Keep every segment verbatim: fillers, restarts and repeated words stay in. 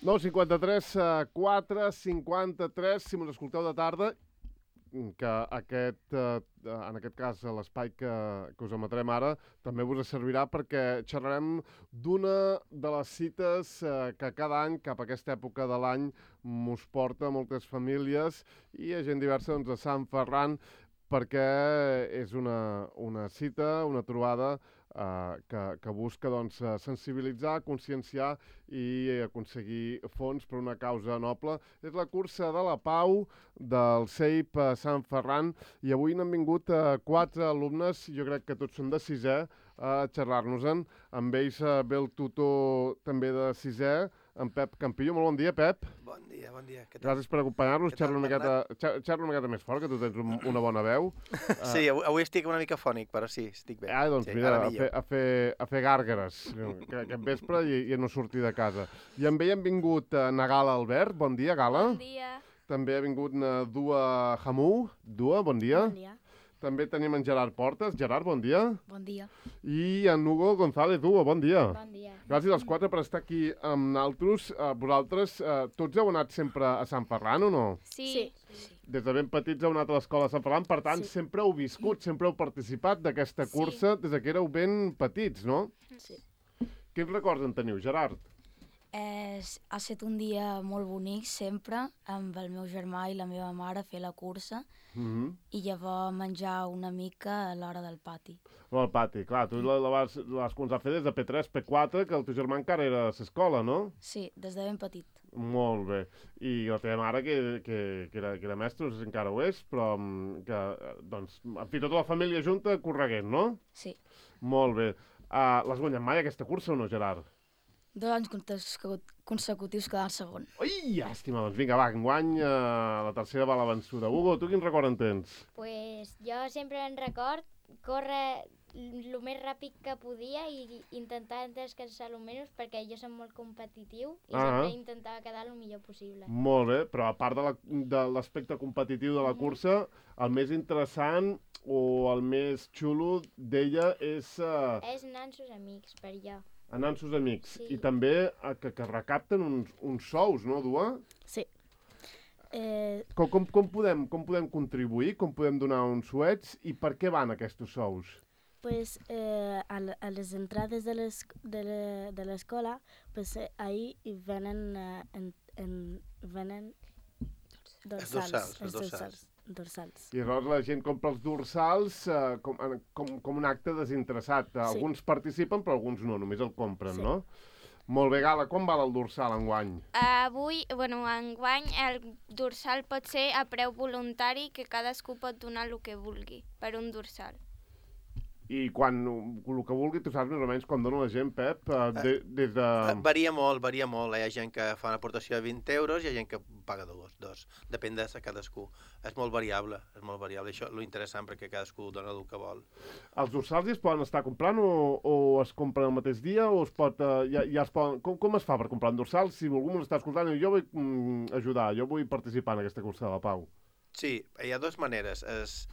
nou cinquanta-tres, quatre cinquanta-tres, si mos escolteu de tarda, que aquest, eh, en aquest cas l'espai que, que us emetrem ara també us servirà perquè xerrarem d'una de les cites eh, que cada any, cap a aquesta època de l'any, mos porta a moltes famílies i a gent diversa doncs, a Sant Ferran, perquè és una, una cita, una trobada eh, que, que busca doncs, sensibilitzar, conscienciar i aconseguir fons per una causa noble. És la cursa de la pau del C E I P Sant Ferran i avui n'han vingut eh, quatre alumnes, jo crec que tots són de sisè, a xerrar-nos-en. Amb ells eh, ve el tutor també de sisè, en Pep Campillo. Molt bon dia, Pep. Bon dia, bon dia. Què tal? Gràcies per acompanyar-nos. Què tal, Xerra una miqueta, xerra una miqueta més fort, que tu tens un, una bona veu. Sí, avui, avui estic una mica fònic, però sí, estic bé. Ah, doncs sí, mira, ara a fer, a, fer, a fer gàrgares que, aquest vespre i, i a no sortir de casa. I amb ell han vingut uh, na Gala Albert. Bon dia, Gala. Bon dia. També ha vingut na Dua Hamou. Dua, bon dia. Bon dia. També tenim en Gerard Portes. Gerard, bon dia. Bon dia. I en Hugo González. Hugo, bon dia. Bon dia. Gràcies als quatre per estar aquí amb naltros. Uh, vosaltres, uh, tots heu anat sempre a Sant Ferran o no? Sí. Sí. Des de ben petits heu anat a l'escola de Sant Ferran, per tant, Sí. sempre heu viscut, sempre heu participat d'aquesta cursa des de que éreu ben petits, no? Sí. Quins records en teniu, Gerard? És, ha estat un dia molt bonic sempre, amb el meu germà i la meva mare fer la cursa Mm -hmm. i llavors menjar una mica a l'hora del pati. Al pati, clar, tu la, la vas, la vas començar a fer des de P tres, P quatre, que el teu germà encara era a l'escola, no? Sí, des de ben petit. Molt bé. I la teva mare, que, que, que, era, que era mestra, no sé si encara ho és, però mm, que, eh, doncs, en fi, tota la família junta correguent, no? Sí. Molt bé. Uh, L'has guanyat mai, aquesta cursa, o no, Gerard? Dos anys consecu- consecutius quedant segon. Ui, llàstima, doncs vinga, va, enguany uh, la tercera va la vençuda. Hugo, tu quin record en tens? Pues jo sempre en record córrer el més ràpid que podia i intentar descansar el menys perquè jo soc molt competitiu i Ah. sempre intentava quedar el millor possible. Molt bé, però a part de la- de l'aspecte competitiu de la cursa, el més interessant o el més xulo d'ella és uh, És anar amb sus amics, per jo. anar amb sus amics. Sí. I també uh, que, que recapten uns, uns sous, no, Dua? Sí. Eh, Com, com, com, podem, com podem contribuir, com podem donar uns suets i per què van aquests sous? Pues eh, a, l- a les entrades de les- de le- de l'escola, pues eh, ahí hi venen, eh, en, en, venen dorsals. dorsals, els els dorsals. dorsals. I llavors la gent compra els dorsals uh, com, en- com, com un acte desinteressat. Sí. Alguns participen, però alguns no, només el compren, Sí. no? Molt bé, Gala, com val el dorsal enguany? Avui, bueno, enguany, el dorsal pot ser a preu voluntari, que cadascú pot donar el que vulgui per un dorsal. I quan, el que vulgui, tu saps més o menys quan dona la gent, Pep, uh, de, des de... Eh, Varia molt, varia molt. Hi ha gent que fa una aportació de vint euros i hi ha gent que paga dos. dos. Depèn de cadascú. És molt variable, és molt variable. Això és lo interessant perquè cadascú dona el que vol. Els dorsals ja es poden estar comprant o, o es compren el mateix dia o es pot, uh, ja, ja es poden... Com, com es fa per comprar un dorsal? Si algú m'ho està escoltant i jo vull mm, ajudar, jo vull participar en aquesta cursa de la Pau. Sí, hi ha dues maneres. És,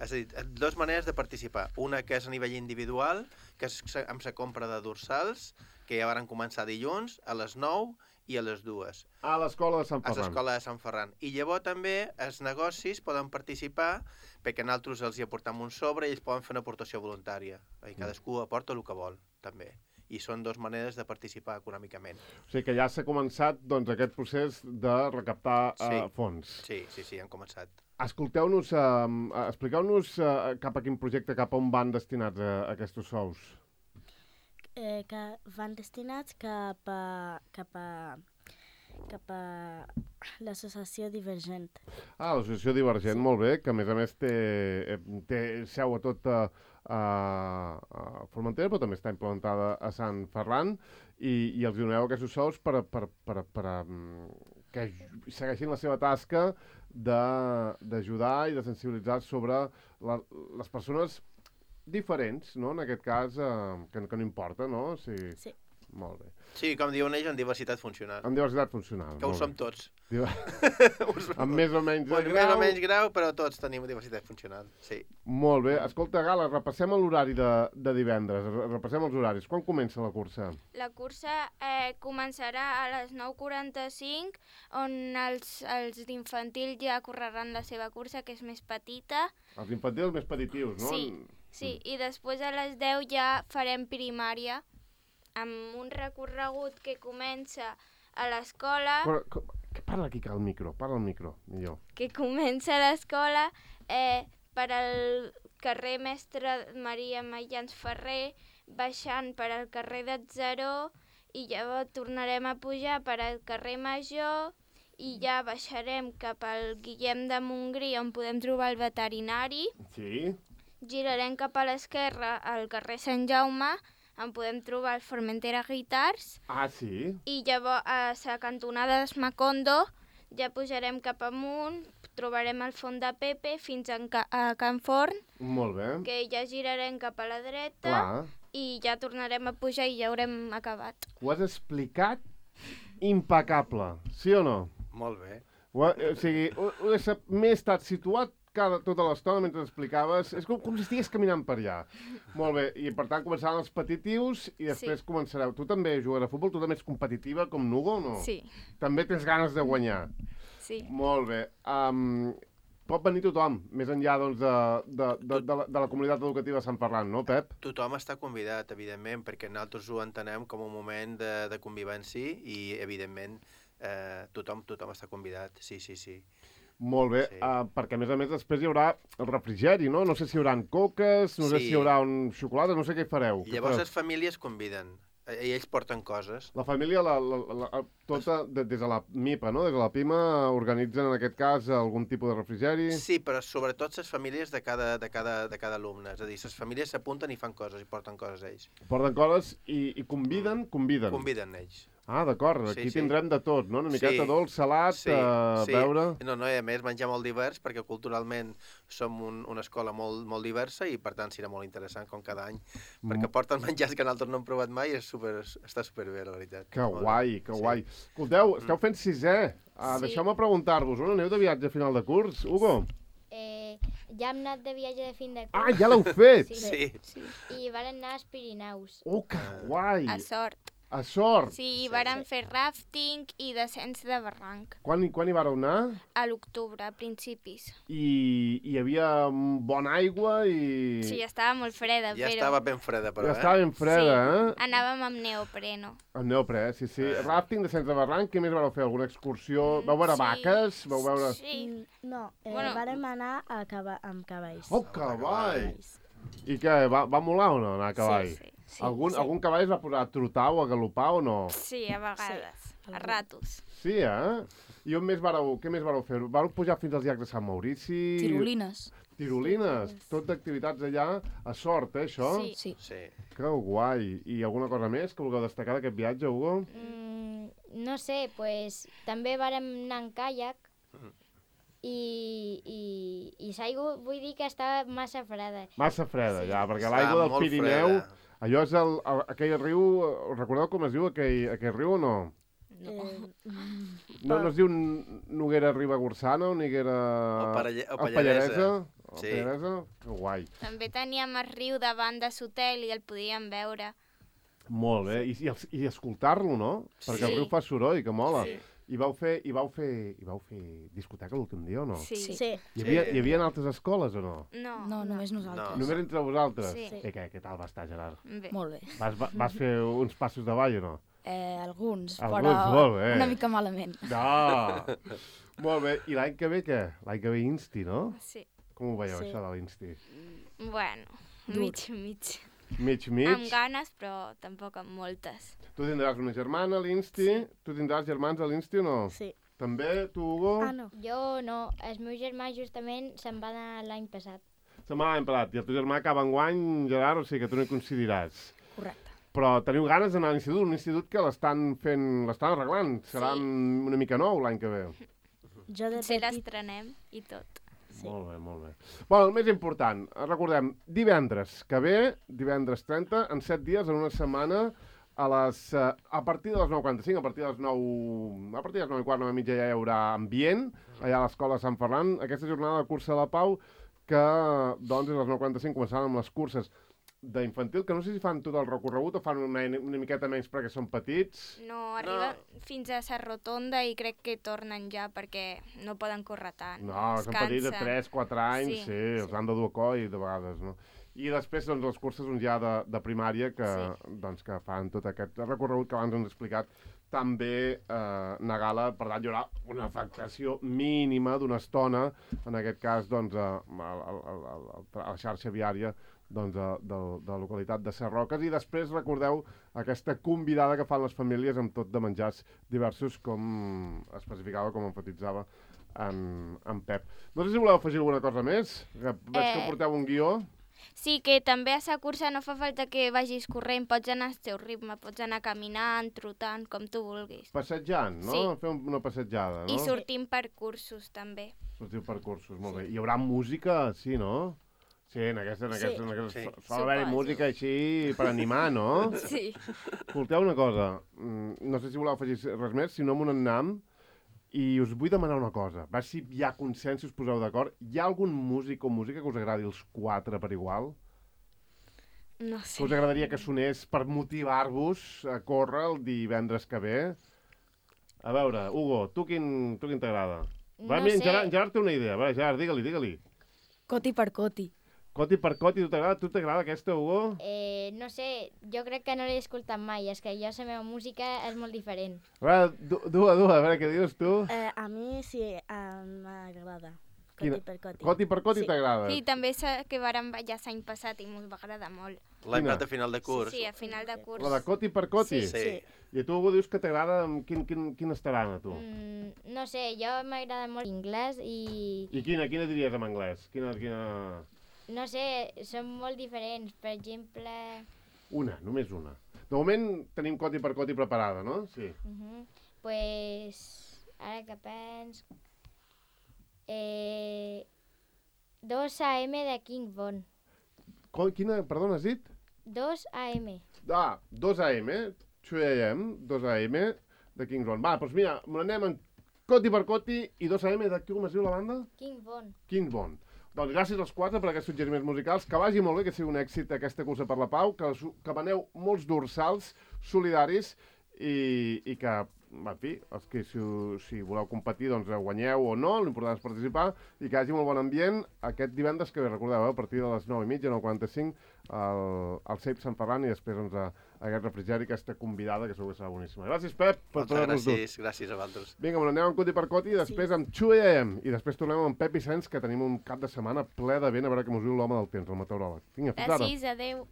és a dir, dues maneres de participar. Una que és a nivell individual, que és amb la compra de dorsals, que ja van començar dilluns a les nou i a les dues. A l'escola de Sant A Ferran. l'escola de Sant Ferran. I llavors també els negocis poden participar perquè nosaltres els hi aportam un sobre i ells poden fer una aportació voluntària. I cadascú aporta el que vol, també. I són dues maneres de participar econòmicament. O sigui que ja s'ha començat doncs, aquest procés de recaptar uh, Sí. fons. Sí, sí, sí, han començat. Escolteu-nos, uh, expliqueu-nos uh, cap a quin projecte, cap a on van destinats uh, aquests sous. Eh, que van destinats cap a, cap a, cap a l'associació Divergent. Ah, l'associació Divergent, molt bé, que a més a més té, eh, té seu a tot a, a, a Formentera, però també està implantada a Sant Ferran, i, i els doneu aquests sous per, a- per, per, per, a, mm, que ju- segueixin la seva tasca de- d'ajudar i de sensibilitzar sobre la, les persones diferents, no? En aquest cas, eh, que, que no importa, no? Si, Sí. Molt bé. Sí, com diuen ells, en diversitat funcional. Amb diversitat funcional. Que ho molt som bé. tots. Diu- Us- Amb més o menys de Bueno, grau. més o menys grau, però tots tenim diversitat funcional, sí. Molt bé. Escolta, Gala, repassem l'horari de, de divendres. Re- Repassem els horaris. Quan comença la cursa? La cursa eh, començarà a les nou quaranta-cinc, on els, els d'infantil ja correran la seva cursa, que és més petita. Els infantils més petitius, no? Sí, sí, i després a les deu ja farem primària, amb un recorregut que comença a l'escola, Però, co- que parla aquí, que al micro. Parla al micro, millor. que comença a l'escola eh, per al carrer Mestre Maria Mayans Ferrer, baixant per al carrer d'Atzaró, i llavors tornarem a pujar per al carrer Major, i ja baixarem cap al Guillem de Montgrí, on podem trobar el veterinari, Sí? girarem cap a l'esquerra al carrer Sant Jaume, on podem trobar el Formentera Guitars, Ah, sí? i llavors a la cantonada d'Esmacondo ja pujarem cap amunt, trobarem el Font de Pepe fins a, Ca a Can Forn, Molt bé. que ja girarem cap a la dreta, Clar. i ja tornarem a pujar i ja haurem acabat. Ho has explicat impecable, sí o no? Molt bé. Ho, ha- o sigui, ho, ho he sap- m'he estat situat cada, tota l'estona mentre explicaves. És com, com si estigués caminant per allà. Molt bé, i per tant començaran els petitius i després Sí. començareu. Tu també jugues a futbol? Tu també ets competitiva com Nugo o no? Sí, També tens ganes de guanyar? sí. Molt bé. Um, pot venir tothom, més enllà doncs, de, de, de, de, la, de la comunitat educativa de Sant Ferran, no, Pep? Tothom està convidat, evidentment, perquè nosaltres ho entenem com un moment de, de convivència i, evidentment, eh, tothom, tothom està convidat, sí, sí, sí. Molt bé, Sí. uh, perquè a més a més després hi haurà el refrigeri, no? No sé si hi haurà coques, no sé Sí. si hi haurà un xocolata, no sé què hi fareu. I Què llavors fareu? les famílies conviden, eh, i ells porten coses. La família, la, la, la, la, tota, de, des de la MIPA, no? Des de la PIMA, organitzen en aquest cas algun tipus de refrigeri. Sí, però sobretot les famílies de cada, de cada, de cada alumne, és a dir, les famílies s'apunten i fan coses, i porten coses ells. Porten coses i, i conviden, conviden. Conviden ells. Ah, d'acord, Sí, aquí sí. tindrem de tot, no? Una miqueta Sí. dolç, salat, Sí, a sí. veure... No, no, i a més menjar molt divers, perquè culturalment som un, una escola molt, molt diversa i per tant serà molt interessant com cada any, perquè porten menjars que nosaltres no hem provat mai i és super, està superbé, la veritat. Que Molt bé. guai, que Sí. guai. Escolteu, esteu fent sisè. Uh, Sí. Deixeu-me preguntar-vos, on aneu de viatge a final de curs? Hugo? Eh, ja hem anat de viatge de fin de curs. Ah, ja l'heu fet! Sí. Sí, I varen anar als Pirineus. Oh, que guai! A Sort. A sort! Sí, Sí, i vàrem sí. fer rafting i descens de barranc. Quan, hi- quan hi vareu anar? A l'octubre, a principis. I hi havia mm, bona aigua i... Sí, estava molt freda, ja però... estava ben freda, però, ja eh? estava ben freda, eh? Anàvem amb neopreno. El neoprè, sí, sí. Eh. Rafting, descens de barranc, què més vareu fer? Alguna excursió? Vau veure Sí. vaques? Vau veure... Sí. Mm, No, eh, Bueno. vàrem anar a cava amb cavalls. Oh, cavall! Cavalls. I què, va, va molar o no anar a cavall? Sí, sí. Sí, algun, sí. algun cavall es va posar a trotar o a galopar o no? Sí, a vegades. A ratos. Sí, eh? I on més vareu, què més vareu fer? Vareu pujar fins als llacs de Sant Maurici? Tirolines. Tirolines. Tot d'activitats allà. A sort, eh, això? Sí. Sí. Sí. Que guai. I alguna cosa més que vulgueu destacar d'aquest viatge, Hugo? Mm, no sé, pues, també vàrem anar en caiac i, i, i l'aigua vull dir que estava massa freda. Massa freda, ja, perquè Està l'aigua del molt Pirineu... freda. Allò és el, el, aquell riu... Recordeu com es diu aquell, aquell riu o no? Eh, mm, No, no es diu N- Noguera Ribagorçana o Noguera... O Paralle- o o Pallaresa. O Sí. Pallaresa? Que guai. També teníem el riu davant de l'hotel i el podíem veure. Molt bé. I, i, els- i escoltar-lo, no? Perquè el Sí. riu fa soroll, que mola. Sí. I vau fer, i vau fer, i vau fer discoteca l'últim dia o no? Sí. sí. Hi havia, Sí. hi havia altres escoles o no? No. No, només nosaltres. No. Només entre vosaltres? Sí. I què, què tal va estar, Gerard? Bé. Molt bé. Vas, va- vas fer uns passos de ball o no? Eh, alguns, Alguns, però molt bé. una mica malament. No! Molt bé. I l'any que ve què? L'any que ve Insti, no? Sí. Com ho veieu, Sí. això de l'Insti? Bueno, Dur. mig, mig. Mig, Amb mig? ganes, però tampoc amb moltes. Tu tindràs una germana a l'Insti? Sí. Tu tindràs germans a l'Insti o no? Sí. També, tu, Hugo? Ah, no. Jo no, el meu germà justament se'n va anar l'any passat. Se m'ha emparat. I el teu germà acaba enguany, Gerard, o sigui que tu no hi coincidiràs. Correcte. Però teniu ganes d'anar a l'institut, un institut que l'estan fent, l'estan arreglant. Serà Sí. una mica nou l'any que ve. Jo de Potser petit... l'estrenem i tot. Sí. Molt bé, molt bé. Bueno, el més important, recordem, divendres que ve, divendres trenta, en set dies, en una setmana, a les, uh, a partir de les nou quaranta-cinc, a partir de les nou... A partir de les nou i quart, nou i mitja, ja hi haurà ambient, allà a l'escola Sant Ferran. Aquesta jornada de cursa de la Pau, que, doncs, a les nou quaranta-cinc començaran amb les curses d'infantil, que no sé si fan tot el recorregut o fan una, una miqueta menys perquè són petits. No, arriben no. fins a la rotonda i crec que tornen ja perquè no poden córrer tant. No, són petits de tres quatre anys, sí, sí, sí. Els han de dur a coll de vegades, no? I després, doncs, les curses doncs, ja de, de primària que, sí. doncs, que fan tot aquest recorregut que abans ens ha explicat també eh, Nagala. Per tant, hi haurà una afectació mínima d'una estona, en aquest cas, doncs, a, a, a, a, a la xarxa viària doncs, de, de, de la localitat de Sarroques. I després, recordeu, aquesta convidada que fan les famílies amb tot de menjars diversos, com especificava, com enfatitzava en, en Pep. No sé si voleu afegir alguna cosa més. Que veig eh... que porteu un guió. Sí, que també a la cursa no fa falta que vagis corrent, pots anar al teu ritme, pots anar caminant, trotant, com tu vulguis. Passejant, no? Sí. Fer una passejada, no? I sortim per cursos, també. Sortim per cursos, molt bé. Hi haurà música, sí, no? Sí, en aquesta... En aquesta, sí. en aquesta Sí. sol haver-hi música així per animar, no? Sí. Escolteu una cosa, no sé si voleu afegir res més, si no m'ho n'anam, i us vull demanar una cosa. Va, si hi ha consens, si us poseu d'acord. Hi ha algun músic o música que us agradi els quatre per igual? No Que sé. us agradaria que sonés per motivar-vos a córrer el divendres que ve? A veure, Hugo, tu quin, tu quin t'agrada? Va, No mira, en sé. Gerard, en Gerard té una idea. Va, Gerard, digue-li, digue-li. Coti per coti. Coti per coti, tu t'agrada? Tu t'agrada aquesta, Hugo? Eh, no sé, jo crec que no l'he escoltat mai, és que jo la meva música és molt diferent. A veure, du, du, du, a veure, què dius tu? Eh, a mi sí, em m'agrada. Coti Quina? per coti. Coti per coti Sí. t'agrada? Sí, també sé que vàrem ballar l'any passat i m'ho va agradar molt. L'any Quina? passat a final de curs. Sí, sí, a final de curs. La de coti per coti? Sí, sí. I tu, Hugo, dius que t'agrada amb quin, quin, quin estaran, a tu? Mm, no sé, jo m'agrada molt l'inglès i... I quina, quina diries en anglès? Quina, quina... No sé, són molt diferents. Per exemple... Una, només una. De moment tenim coti per coti preparada, no? Sí. Uh -huh, pues... Ara que pens... Eh... dos A M de King Von. Co quina, perdona, has dit? dos A M. Ah, dos A M, dos A M, dos A M de King Von. Va, doncs mira, me n'anem en coti per coti i dos A M de com es diu la banda? King Von. King Von. Doncs gràcies als quatre per aquests suggeriments musicals. Que vagi molt bé, que sigui un èxit aquesta cursa per la Pau, que, que veneu molts dorsals solidaris i, i que, en fi, els que si, si voleu competir, doncs guanyeu o no, l'important és participar i que hi hagi molt bon ambient aquest divendres que, recordeu, eh, a partir de les nou i mitja, nou quaranta-cinc, al, al C E I P Sant Ferran i després doncs, a, a aquest refrigeri, aquesta convidada, que segur que serà boníssima. Gràcies, Pep, per Moltes poder-nos dur. gràcies, gràcies a vosaltres. Vinga, me n'anem amb coti per coti i després sí. amb two A M i després tornem amb Pep i Sens, que tenim un cap de setmana ple de vent, a veure què mos diu l'home del temps, el meteoròleg. Vinga, fins ara. Gràcies, adeu.